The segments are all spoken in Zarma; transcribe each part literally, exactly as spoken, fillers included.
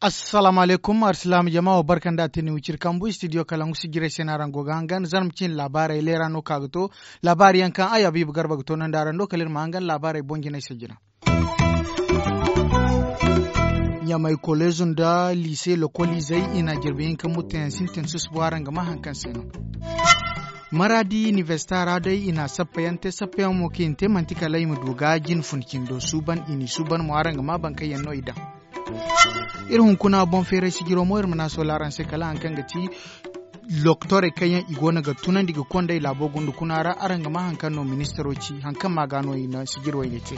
Assalaamu alaykum arsilaama jama wo barka nda a te ni wiciri kambu istidiyo kalangu sijirey se no araŋ go ga hangan zarma cine laabaarey leera no ka ga to. Laabaari yaŋ kaŋ ay abiiba garba ga toonandi araŋ do kala iri ma hangan laabaarey boŋ jinay se jina. Ɲamay koleezo nda liise lokoliizey i na jirbi hinka mutteyaŋ sintin susubo araŋ ga ma hari kaŋ se no. Maraadi inibersita ra day i na sappayaŋ te sappayaŋ mo kaŋ i na te manti kala i ma du ga jine fun cindo suuban i n'i suuban mo araŋ ga ma baŋ kaŋ yaŋ no i daŋ. Iri hunkuna boŋ feeray sijiro mo iri ma ne a soola araŋ se kala hari kaŋ ga ti loktorey kaŋ yaŋ i go no ga tunandi ga konday laabo gunda kuna ra araŋ ga ma hari kaŋ no ministaro ci hari kaŋ ma ga no i na sijir wayne te.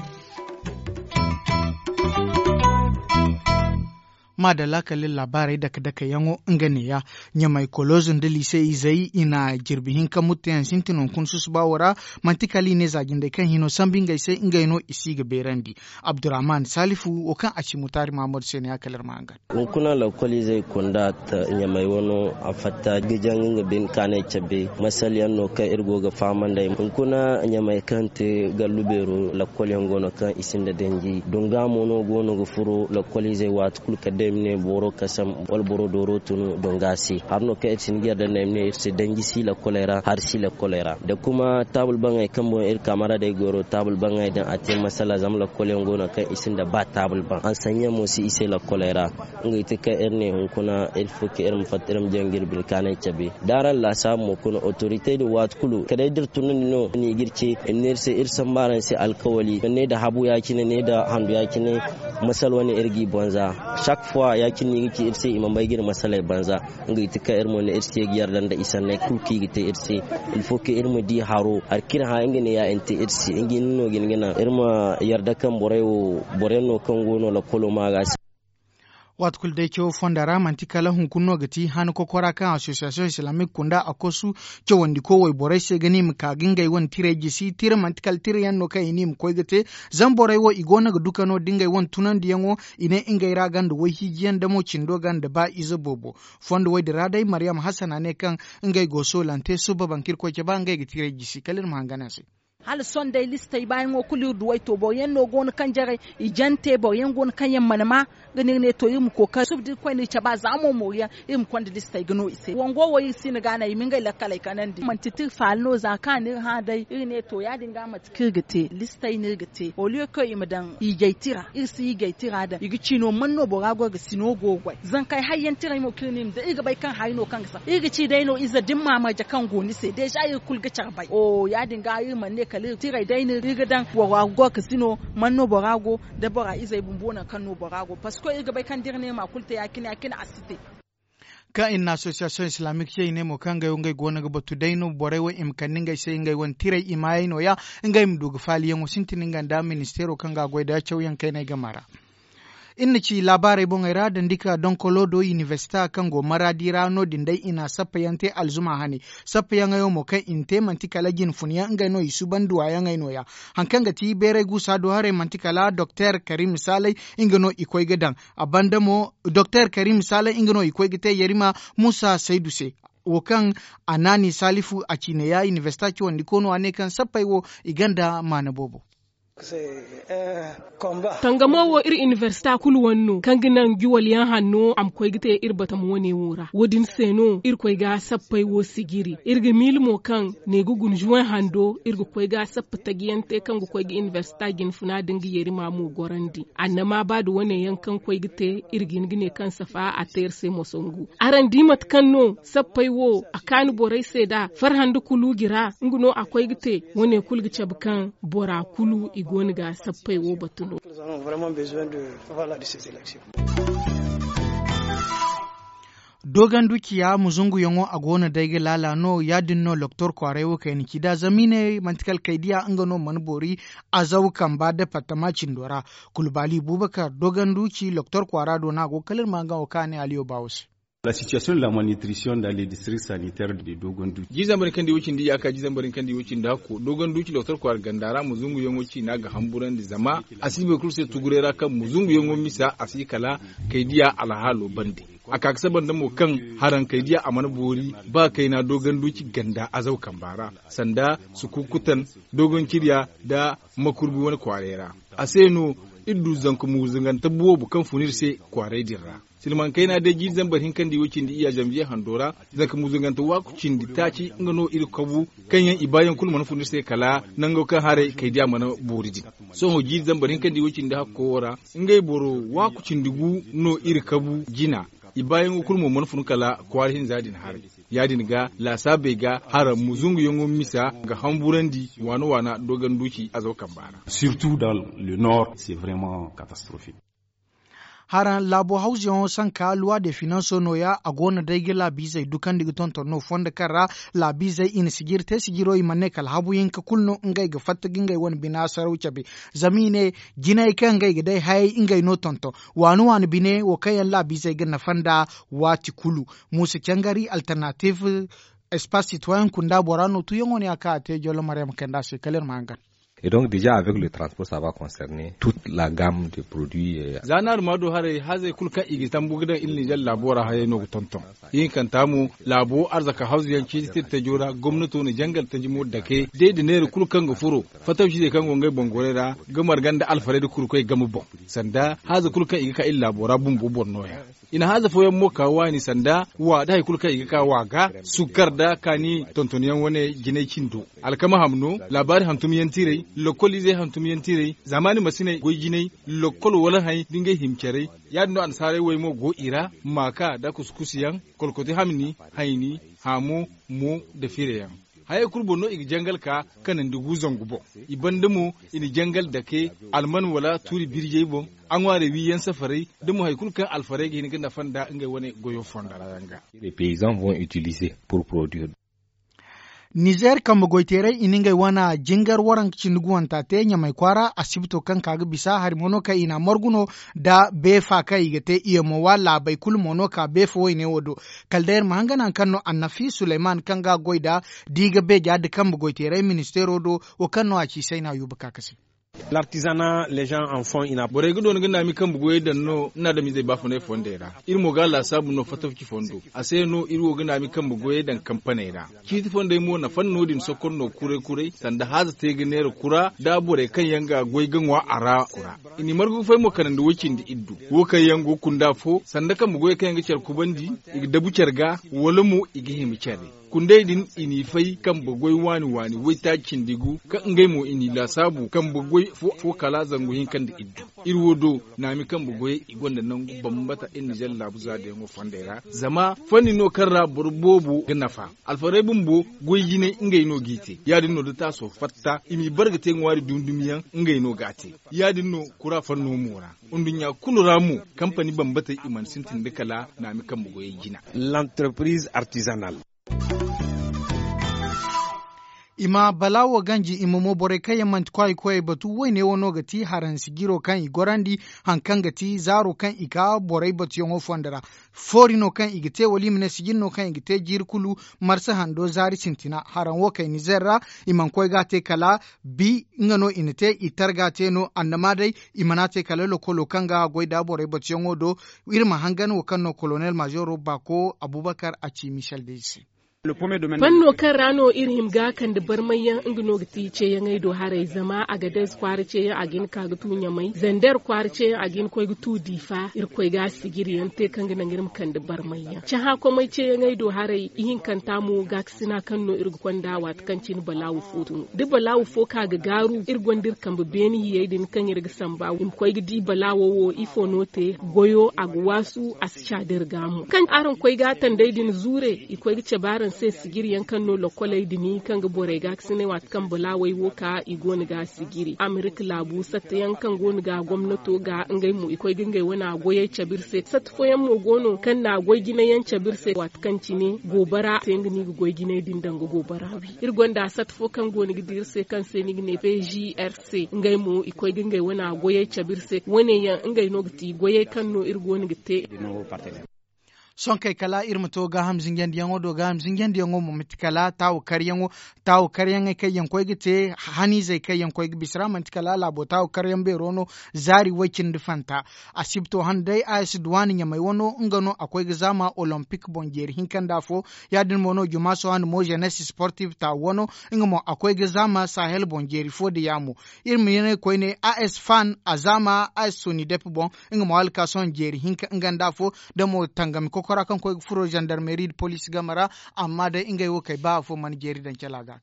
Maadalla kala iri laabaarey dake dake yaŋo nga neeya. Ɲamay koloozo nda liise izey i na jirbi hinka mutteyaŋ sintin hunkuna susuba wo ra. Manti kala i ne za jindey kaŋ hino sambu ngey se ngey no i si ga beerandi. Abdurrahman salifu wo kaŋ a ci mutaari mahamadu se ne ya kala iri ma hangan. Hunkuna lakkoliizey kunda ɲamay wano a fatta ga jaŋ nga bine kaanay cabe. Masal yaŋ no kaŋ iri go ga fahamandey hunkuna ɲamay kaŋ te gallu beero lakkol yaŋ go no kaŋ i sinda danji dunga mo no go no ga furo lakkoliizey waati kulu kala day ma ne boro kasam wala boro dooro tun dunga se. Hari no kaŋ iri si ni ga yarda nda ay ma ne iri se danji si lakkoley ra hari si lakkoley ra da kuma taabul baŋey kaŋ boŋ iri kaamara day goro taabul baŋey daŋ a te masala zama lakkol yaŋ go no kaŋ i sinda ba taabul baŋ hansanyaŋ mo si i se lakkoley ra. Ngey ti kaŋ iri ne hunkuna iri fo kaŋ iri ma fatta iri ma jaŋ ga iri bine kaanay cabe da araŋ laasaabu mo kuna otoritey din waati kulu kala day da iri tunandi no ni ga iri ce iri ne iri se iri sambu araŋ se alkawali ne da habu ya- cine ne da handu ya- cine. Masal wane iri g'i banza sak fuwa ya- cine no i ga ci iri se i ma bay ga iri masaley banza. Ngey ti kaŋ iri mo ne iri se ga yarda nda i sanney kulu kaŋ i ga te iri se. Ilfo kaŋ iri ma di haro hari kaŋ iri hã nga ne ya iri te iri se nga hinne no ga hin ga naŋ iri ma yarda kaŋ borey wo boro yaŋ no kaŋ go no lakkolo ma ga se. Waati kulu day cawo fonda ra manti kala hunkuna no ga ti han kokora kaŋ association islamique kunda a kosu cawandi ko wayborey se ga ne i ma ka ga ngey wane tirey jisi tira manti kala tira yaŋ no kaŋ i ne i ma koy ga te. Zama borey wo i go no ga duka no da ngey wane tunandiyaŋo i ne ngey ra ganda wayhiijiyaŋ damo cindo ganda ba ize boobo. Fondo woy din ra day maryam hasana ne kaŋ ngey go soolante suba baŋ kaŋ iri koy cabe ngey ga tirey jisi kala iri ma hangan a se. Hala sohõ day listey baayaŋo kulu iri du way to boro yaŋ no go no kaŋ jaray i jante boro yaŋ go no kaŋ yaŋ mana ma. Ga no iri ne to iri ma kookari suba da iri koy no iri cabe a za moomooru yaŋ iri ma konda listey ga no i se wango wo iri si no ga a naŋ i ma ngey lakkaley kanandi manti tira faala no za kaŋ a na iri hã day iri ne to ya- din ga mate kaŋ iri ga te listey no iri ga te oliyo kaŋ i ma daŋ hiijay tira iri si hiijay tira daŋ i ga ci no man no bora go ga si no go ga goy zankey hayyaŋ tiray mo kaŋ iri ne i ma daŋ iri ga bay kaŋ hari no kaŋ ga sara iri ga ci day no ize da ni ma marje kaŋ go ni se deeza iri kulu ga care bay o ya- din ga iri mana ne kala iri tiray day no iri ga daŋ bora go ga si no man no bora go da bora izey bumbo nangu kaŋ no bora go parceque iri ga bay kaŋ da iri ne ma kulu te ya- cine ya- cine a si te. Kaŋ i na association islamique ce i ne mo kaŋ ngey wo ngey go no ga batu day no borey wo i ma kande ngey se ngey wane tirey i maayey no- ya ngey ma du ga faaliyaŋo sintin nga nda ministeero kaŋ ga a goy nda cawyaŋ kayney game ra. Iri na ci laabaarey boŋey ra dandi ka donkolo do inibersita kaŋ go maraadi ra no- din day i na sappayaŋ te alzuma hane. Sappayaŋey wo mo kaŋ i na te manti kala jine funyaŋ ngey no i suuban duwayaŋey no- ya. Hari kaŋ ga ti bayray guusa do haray manti kala doktor karim saalay nga no i koy ga daŋ. A banda mo doktor karim saalay nga no i koy ga te yarima muusa saydu se. Wo kaŋ a naani saalifu a ciine ya inibersita cawandi koono a ne kaŋ sappey wo i gonda maana boobo. Tangamo wo iri inibersita kulu wane no kaŋ ga naŋ juwal yaŋ hanno a ma koy ga te iri batama wane wo ra wo- din se no iri koy ga sappey wo sijiri iri ga miila mo kaŋ ne ga guna juway hando iri ga koy ga sappa taji yaŋ te kaŋ ga koy ga inibersita jinfuna da nga yarima mo gorandi annama ba da wane yaŋ kaŋ koy ga te iri ga hin ga ne kaŋ safa a te iri se moso ngu. Araŋ di mate kaŋ no sappey wo a kaani borey se nd'a farhã nda kuluuji ra nga no a koy ga te. Wo- ne kulu ga cabe kaŋ bora kulu i go no ga sappey wo batu no. Doogandu ciya muzunguyaŋo a go no day ga laala no ya- din no doktor kwaaray wo kayna ci nd'a zama i ne manti kala kay diya nga no mana boori. Azaw kamba departama cindo ra. Kulbaali buubakar doogandu ci doktor kwaara do no a go kala iri ma nga wo kaŋ a ne aliyo baawo se. La sitiyasiyoŋ de la malnitrisiyoŋ dans les districts sanitaires de dogon duuci. Jiizambarin kaŋ di wo cindi yaaka jiizambarin kaŋ di wo cindi hakko dogon duuci doktor kwaara ganda ra muzunguyaŋo ciina ga hamburandi zama a si boro kulu se tuguray ra kaŋ muzunguyaŋo misa a si kala kay diya alhaalo bande. A ka ga saba nda mo kaŋ haraŋ kay diya a mana boori ba kayna doogan duuci ganda azaw kamba ra, sanda sukukutan doogan cirya nda makurbi wane kwaaray ra. A se no iri du zanka muuzungante boobo kaŋ fun iri se kwaaray din ra. Silmaŋ kayna day jiiri zambar hinka nda i wo cindi iyya zanbiye hando ra. Zanka muuzungante waaku cindi taaci nga no iri kabu kaŋ yaŋ i baayaŋ kulu mana fun iri se kala nango kaŋ haray kay diya mana boori din. Sohõ jiiri zambar hinka nda i wo cindi hakko wo ra, ngey boro waaku cindi gu no iri kabu jina. I baayaŋo kulu mo mana fun kala kwaara hinza din haray. Ya- din ga laasaabey ga haraŋ muzunguyaŋo misa ga hamburandi waana waana doogan duuci azaw kamba ra. Surtout dans le nord c'est vraiment catastrophique. Haraŋ laabo hawzuyaŋo sanka luwa de finanso nooya a go no day ga laabiizey dukandi ga tonton no fondo kaŋ ra laabiizey i na sijiri te sijiro i mana ne kala habu hinka kulu no ngey ga fatta ga ngey wane bina saraw cabe. Zama i ne jinay kaŋ ngey ga day hayey ngey no tonton waani waani bine wo kaŋ yaŋ laabiizey ga nafa nda waati kulu. Muusa cangari alternative espace citoyen kunda bora no tuyaŋo ne a ka a te jollo maryama kayndi a se kala iri ma hangan. Et donc déjà avec le transport ça va concerner toute la gamme de produits. Za no a du ma du haray hazey kulu kaŋ i ga tambu ga daŋ iri ninzeer laabo ra hayey no ga tonton. Ihinkanta mo laabo arzaka hawzu yaŋ ciiti tirtajo ra gomnato na jangal taji mo dake day da neera kulu kaŋ ga furo fatawcizey kaŋ go ngey boŋ goray ra ga marga nda alfarey nda kurkoy game boŋ. Sanda haaza kulu kaŋ i ga ka iri laabo ra bumbo boro nooya. I na haaza fooyaŋ mo ka waani sanda wa nda hari kulu kaŋ i ga ka wa ga sukkar nda kaani tontonyaŋ wane jinay cindo. Alkama hamno laabaari hantumyaŋ tiray lokoliizey hantumyaŋ tiray zaamaani masiney goy jinay lokol wala hay nda ngey hima caray. Ya- din no annasaarey wey mo go i ra maaka nda kuskusiyaŋ kolkoti hamni hayni haamo mo nda fireyaŋ. Hayey kulu boŋ no i ga jangal ka kanandi gu zangu boŋ. I banda mo i na jangal dake alman wala tuuri birjey boŋ. A ŋwaarey wiiyaŋ safaray da mo hari kulu kaŋ alfarey ga hin ga nafa nda ngey wane goyo fonda ra yaŋ ga. Les paysans vont utiliser pour produire. Nizeer kambe goyteerey i na ngey wane jingar waranka cindi guwanta te ɲamay kwaara asibito kaŋ ka ga bisa hari mo no kaŋ i na a margu no nda beefa kaŋ i ga te i yaŋ mo wa laabey kulu mo no ka beefa wayne wo do. Kala day iri ma hangan hari kaŋ no annafi suleyman kaŋ ga a goy nda da i ga beeja nda kambe goyteeray ministeero do. Wo kaŋ no a ci sayna yuuba ka kase. Borey ga doona ga naami kambe goyey daŋ no nda adamizey baafunay fondey ra. Iri mo ga a laasaabu no fatafci fondo a se no iri wo ga naami kambe goyey daŋ kampaney ra. Ciiti fondey mo nafa no- din sokor no kuray kuray sanda haaza te ga neera kura nda borey kaŋ yaŋ ga goy ga ŋwa a ra kura. I n'i margu ga fay mo kanandi way cindi iddu wo kaŋ yaŋ go kunda fo sanda kambe goyey kaŋ yaŋ ga care kubandi, i ga dabu care ga wala mo i ga hima care. Kundey din i n'i fay kambe goy waani waani waytaaci cindi gu kaŋ ngey mo i n'i laasaabu kambe goy fo kala zangu hinka nda iddu. Iri wo do naami kambe goyey i gonda nangu bambata iri nizeer laabu zaadayaŋo fondey ra zama fanni no kaŋ ra boro boobo ga nafa. Alfarey bumbo goy jinay ngey no g'i te ya- din no da taaso fatta i m'i bare ga te ŋwaari dumi dumi yaŋ ngey no g'a te. Ya- din no kura fanno mo ra. Nduɲɲa kulu ra mo kampani bambatey i mana sintin nda kala naami kambe goyey jina. L'entreprise artisanale. I ma balaawo ganji i ma mo borey kaŋ yaŋ manti kwaayi koyey batu wayne wo no ga ti haransi jiro kaŋ i gorandi hari kaŋ ga ti zaaro kaŋ i ka borey batuyaŋo fondo ra. Foori no kaŋ i ga te wala i ma ne sijin no kaŋ i ga te jiiri kulu. Marsa hando zaari sintina haraŋ wo kay nizeer ra. I mana koy ga a te kala bi nga no i na te i targa te no annama day. I mana te kala lokolo kaŋ ga a goy nda borey batuyaŋo do. Iri ma hangan wo kaŋ no kolonel mazeero baako abubakar a ci michel day se. Fanno kaŋ ra no iri hima ga a kande barmayyaŋ nga no ga ti ceeyaŋey do haray zama a ga day kwaara ceeyaŋ a ga hin ka ga tu ɲamay zander kwaara ceeyaŋ a ga hin koy ga tu diifa iri koy ga a sijiriyaŋ te kaŋ ga naŋ iri ma kande barmayyaŋ cahã komey ceeyaŋey do haray ihinkanta mo gaakasina kaŋ no iri ga konda waati kaŋ cine balaawu fo tun da balaawu fo ka ga gaaru iri gonda iri kambe beene hiyey din kaŋ iri ga samba i ma koy ga di balaawo wo ifo no te. Goyo a ga waasu a si caada iri ga mo kaŋ araŋ koy ga a tandey din zuure i koy ga cabe araŋ se sijiriyaŋ kaŋ no lokoley din kaŋ ga borey gaakasinay waati kaŋ balaawey wo ka i go no ga a sijiri amerika laabu sattayaŋ kaŋ go no ga gomnato ga ngey mo i koy ga ngey wane a goyey cabe iri se satta fooyaŋ mo go no kaŋ na goy jinayaŋ cabe iri se waati kaŋ cine goobara se nga no i ga goy jinay din daŋ ga goobara wi iri gonda satta fo kaŋ go no ga di iri se kaŋ se ni ga ne p g r c ngey mo i koy ga ngey wane a goyey cabe iri se wane yaŋ ngey no ga ti goyey kaŋ no iri go no ga te. Sohõ kay kala iri ma to gaaham zinjandiyaŋo do gaaham zinjandiyaŋo mo manti kala taawu karyaŋo. Taawu karyaŋey kaŋ yaŋ koy ga te haniizey kaŋ yaŋ koy ga bisa ra manti kala laabo taawu karyaŋ beero no. Zaari way-cindi fanta asibto hane day a s duwaani ɲamay wano nga no a koy ga zaama olompik boŋ jeeri hinka nda afo. Ya- din mo no juma sohõ hane mo zenes sportif taawu wano nga mo a koy ga zaama sahel boŋ jeeri fo da yaamo. Iri ma ye ne koyne a s fan a zaama a s sonidep boŋ. Nga mo hala ka sohõ jeeri hinka nga nda afo da mo tangami kokora kaŋ koy ga furo zandarmeri nda poliisi game ra. Amma day ngey wo kay ba afo mana jeeri daŋ cala ga.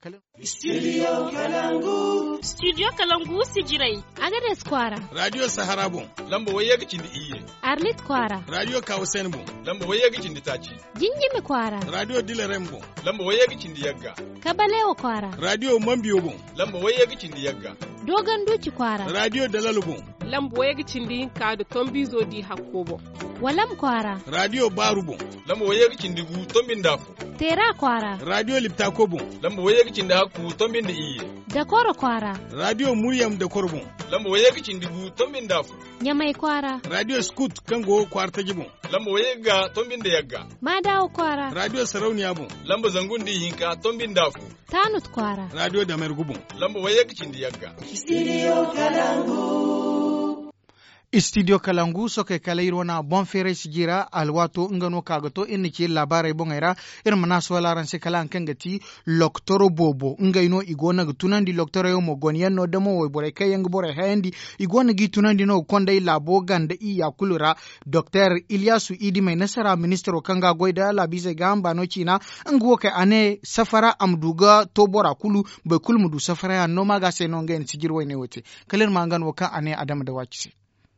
Studio kalangu sijirey. Agades kwaara. Radiyo sahara boŋ. Lamba wayye ga cindi iyye. Arlit kwaara. Radiyo kawusen boŋ. Lamba wayye ga cindi taaci. Jinjimi kwaara. Radiyo dilarem boŋ. Lamba wayye ga cindi yagga. Kabalewa kwaara. Radiyo mambiyo boŋ. Lamba wayye ga cindi yagga. Dogon duuci kwaara. Radiyo dalalo boŋ. Lamba wayye ga cindi hinka nda tombiizo di hakko boŋ. Walam kwaara. Radiyo baaru boŋ. Lamba wayye ga cindi gu tombi nda afo. Teera kwaara. Radiyo liptako boŋ. Lamba wayye ga cindi hakku tombi nda iyye. Dakoro kwaara. Radiyo muryam dakoro boŋ. Lamba wayye ga cindi gu tombi nda afo. Ɲamay kwaara. Radiyo skut kaŋ go kwaara taji boŋ. Lamba wayye ga tombi nda yagga. Maadawa kwaara. Radiyo sarauniya boŋ. Lamba zangu nda ihinka tombi nda afo. Taanut kwaara. Radiyo damergu boŋ. Lamba wayye ga cindi yagga. Studio kalangu. Studio kalangu sokey kala iri wane boŋ feeray sijira alwaato nga no ka ga to iri na ci iri laabaarey boŋey ra. Iri ma naasuwal araŋ se kala haŋ kaŋ ga ti loktoro boobo ngey no i go no ga tunandi loktorey wo mo gone yaŋ no damo wayborey kaŋ yaŋ ga borey hayandi. I go no g'i tunandi no ga konday laabo ganda iyya kulu ra. Doktor iliyasu idimey nasara ministiro kaŋ ga a goy nda laabiizey gaaham baano ciina. Nga wo kay a ne safara a ma du ga to bora kulu. Boro kulu ma du safara yaŋ no ma ga se no ngey na sijiri wayne wo te. Kala iri ma nga no wo kaŋ a ne adama da waaci se.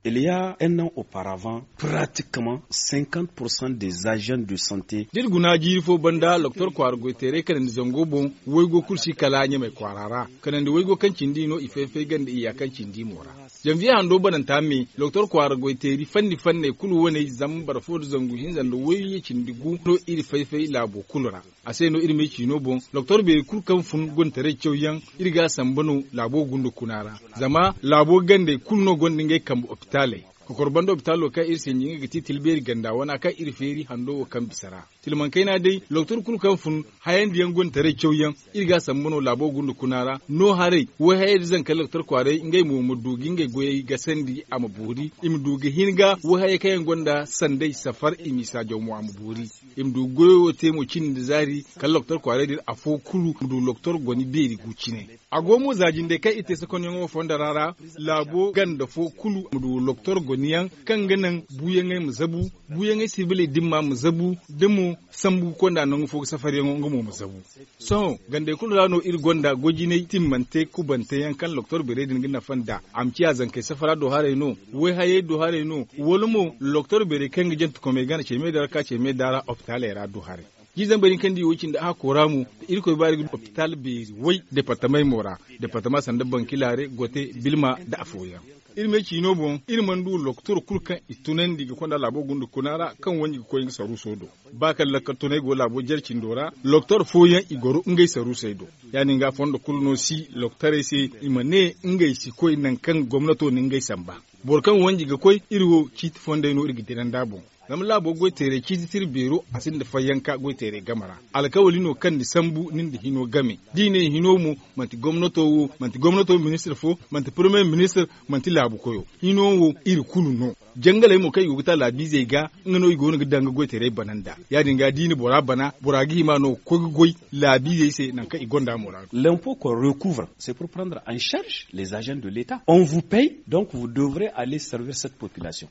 Il y a un an oparavan pratikman cinquante pourcent des agents de sante. Da iri guna jiiri fo banda doktor kwaara goyteeray kanandi zango boŋ. Waygo kulu si kala ɲamay kwaara ra kanandi waygo kaŋ cindi no i fay-fay ganda iyya kaŋ cindi mo ra. Zanviye hando bananta me doktor kwaara goyteeri fanni fanney kulu waney zama boro fo nda zangu hinza nda wayye cindi gu no iri fay-fay laabo kulu ra. A se no iri me ciino boŋ doktor beeri kulu kaŋ fun gontaray cawyaŋ. Iri ga a samba no laabo gunda kuna ra. Zama laabo gandey kulu no gonda ngey kambe opitaaley. Kokor banda opitaalo kaŋ iri se ɲiŋay ga ti tilbeeri ganda wana kaŋ iri feeri hando wo kaŋ bisa ra. Tilmankayna day doktor kulu kaŋ fun hayandiyaŋ gontaray cawyaŋ. Iri ga a samba no laabo gunda kuna ra no haray wayhayey da zankey doktor kwaaray ngey mo ma du ga ngey goyey gasandi a ma boori i ma du ga hin ga wayhayey kaŋ yaŋ gonda sanday safar i m'i saajaw mo a ma boori. I ma du goyo wo te mo cindi nda zaari kala loktor kwaaray din afo kulu ma du loktor goni beeri gu cine. A go mo za jindey kaŋ i te sakonyaŋo fondo ra ra laabo ganda fo kulu ma du loktor goniyaŋ kaŋ ga naŋ buuyaŋey ma zabu. Buuyaŋey sibiley dimma ma zabu da mo sambu ga konda nangu fo ga safaryaŋo nga mo ma zabu. Sohõ gandey kulu ra no iri gonda gojinay timmante kubanteyaŋ kaŋ loktor beerey din ga nafa nd'a a ma ciya zankey safara do haray no wayhayey do haray no wala mo loktor beerey kaŋ ga jantekomey gana ce me da ra ka ce me da ra opitaaley ra do haray. Jiiri zambar din kaŋ di wo cindi a hakko ra mo da irkoy baari ga opitaal beeri way departamey mo ra. Departama sanda bankilaare gote bilma nda afooyaŋ. Iri me ciino boŋ iri mana du loktor kulu kaŋ i tunandi ga konda laabo gunda kuna ra kaŋ wanji ga koy nga saruuso do. Ba kaŋ lakkal tunay go laabo jare cindo ra loktor fooyaŋ i goro ngey saruusey do. Ya- din ga fondo kulu no si loktorey se i ma ne ngey si koy nangu kaŋ gomnato na ngey samba. Boro kaŋ wanji ga koy iri wo ciiti fondey no iri ga dira nd'a boŋ. Zama laabo goy teeray ciiti tira beero a sinda fayyanka goy teeray game ra. Alkawali no kaŋ ni sambu ni nda hino game. Da i ne hino mo manti gomnato wo manti gomnato ministir fo manti parmiye ministir manti laabu koyo. Hino wo iri kulu no. Jangaley mo kaŋ i go ga ta laabiizey ga nga no i go no ga daŋ ga goy teeray bana nd'a. Ya- din ga da i na bora bana bora ga hima no ga koy ga goy laabiizey se nangu kaŋ i gonda mo ra. Lempo ko recouvre c'est pour prendre en charge les agents de l'etat on vous paye donc vous devrez aller servir cette population.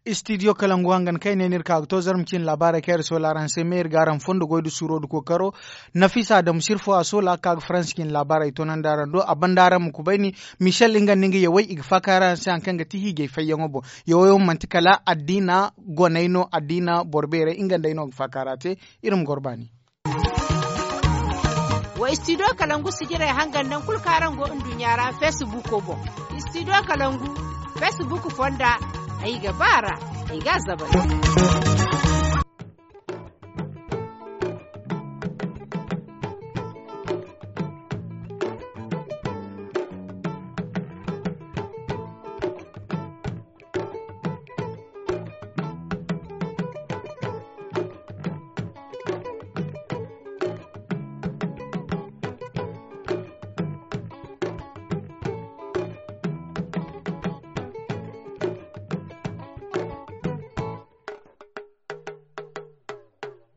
Studio kalangu hangan kaŋ ay ne no iri ka ga to zarma cine laabaarey kaŋ iri soola araŋ se me iri ga araŋ fondo goy nda suuro nda kookaro. Nafisa adamu sirfo a soola ka ga faransi cine laabaarey toonandi araŋ do a banda araŋ ma kubayni. Michel nga nda nga yawey i ga faaka araŋ se hari kaŋ ga ti hiijay fayyaŋo boŋ. Yawey wo manti kala addiina goney no addiina boro beerey nga nd'ey no ga faaka ra te. Iri ma goro baani. Wa studio kalangu sijirey hangan nangu kulu kaŋ araŋ go nduɲɲa ra feesibuuko boŋ. Studio kalangu feesibuuko fonda ay ga ba a ra ay ga a zabari.